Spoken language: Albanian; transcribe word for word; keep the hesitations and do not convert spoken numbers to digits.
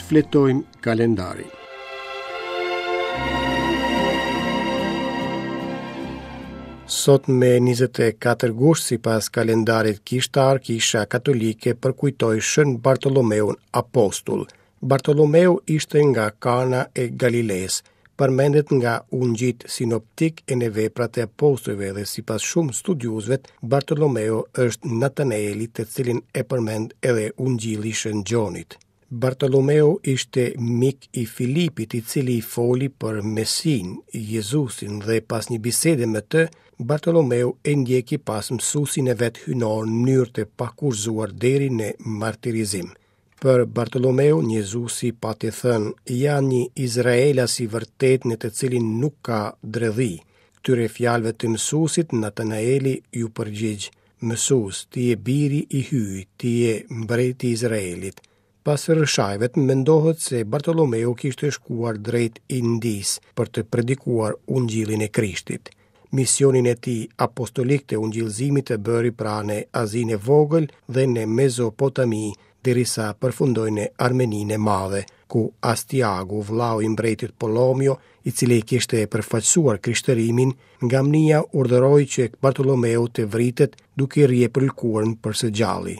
Shfletojmë kalendarin. Sot me njëzet e katër gusht, sipas kalendarit kishtar, Kisha Katolike përkujtoi Shën Bartolomeun Apostull. Bartolomeu ishte nga Kana e Galilesë, përmendet nga ungjit sinoptik e në veprat e apostujve dhe sipas shumë studiuesve, Bartolomeu është Natanaeli, të cilin e përmend edhe ungjilli i Shën Gjonit. Bartolomeu ishte mik i Filipit, i cili i foli për Mesin, Jezusin, dhe pas një bisede me të, Bartolomeu e ndjeki pas mësuesin e vet hyjnor në mënyrë të pakushtëzuar deri në martirizim. Për Bartolomeun, Jezusi pati thënë: "Ja një Izraelas i vërtet në të cilin nuk ka dredhi." Këtyre fjalëve të mësuesit, Natanaeli ju përgjigj: "Mësues, ti je biri i Hyjit, ti je mbreti i Izraelit." Pas rrëshajve mendohet se Bartolomeu kishte shkuar drejt Indisë për të predikuar ungjillin e Krishtit. Misionin e tij apostolik të ungjillzimit e bëri pra në Azinë e Vogël dhe në Mezopotami, derisa përfundoi në Armeninë e Madhe, ku Astiagu, vllau i mbretit Polomio, i cili kishte përfaqësuar krishtërimin, nga mnia urdhëroi që Bartolomeu të vritet duke i rjepur lëkurën për së gjalli.